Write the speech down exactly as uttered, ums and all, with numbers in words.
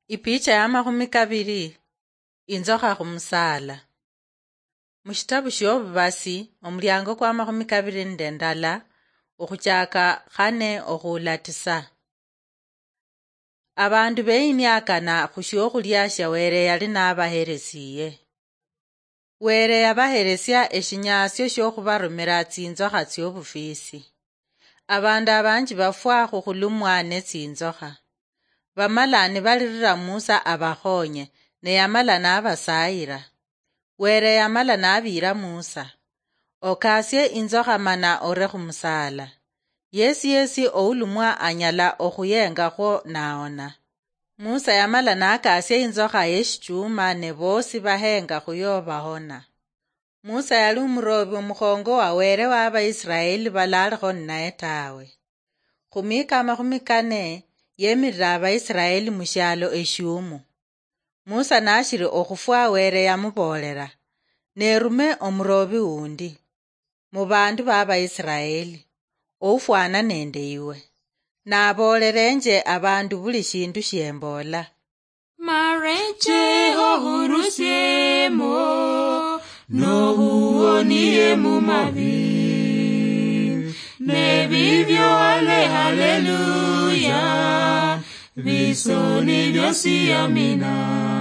Ipicha ya makhumi kabiri. Inzokha khumusaala. Mushitabu shiobubasi, omuliango kwa makhumi kabiri nende ndala, okhuchaka khane okhuula tisa. Abandu beyiniakana khushiokhulya shia Were yali nabaheresiye. Were yabaheresia eshinyaasio shiokhubarumira tsinzokha tsiobufisi. Abandu abanji bafwa khukhulumwa netsinzokha. Bamala nibalirira Musa abakhonye, ne yamala nabasayira. Were yamala nabiira Musa, "Okasie inzokha mana ore khumusaala. Yesi yesi oulumwa anyala okhuyengakhwo naona." Musa yamala nakasia inzokha yeshichuma, ne bosi bahenga khuyo bahona. Musa yali umurobi omukhongo wa Were wa Abaisiraeli balalikho ninaye tawe. Khumiika amakhumi kane yemirira Abaisiraeli mushialo eshiumu. Musa nashiri okhufwa, Were yamuboolera, "Nerume omurobi wundi mubandu ba Abaisiraeli, oufwana nende iwe. Naboolerenje abandu buli shindu shiemboola." Mareche ohurusiemo, nohuonie mumabi. Nebibyo ale haleluya, bisoni byosi amina.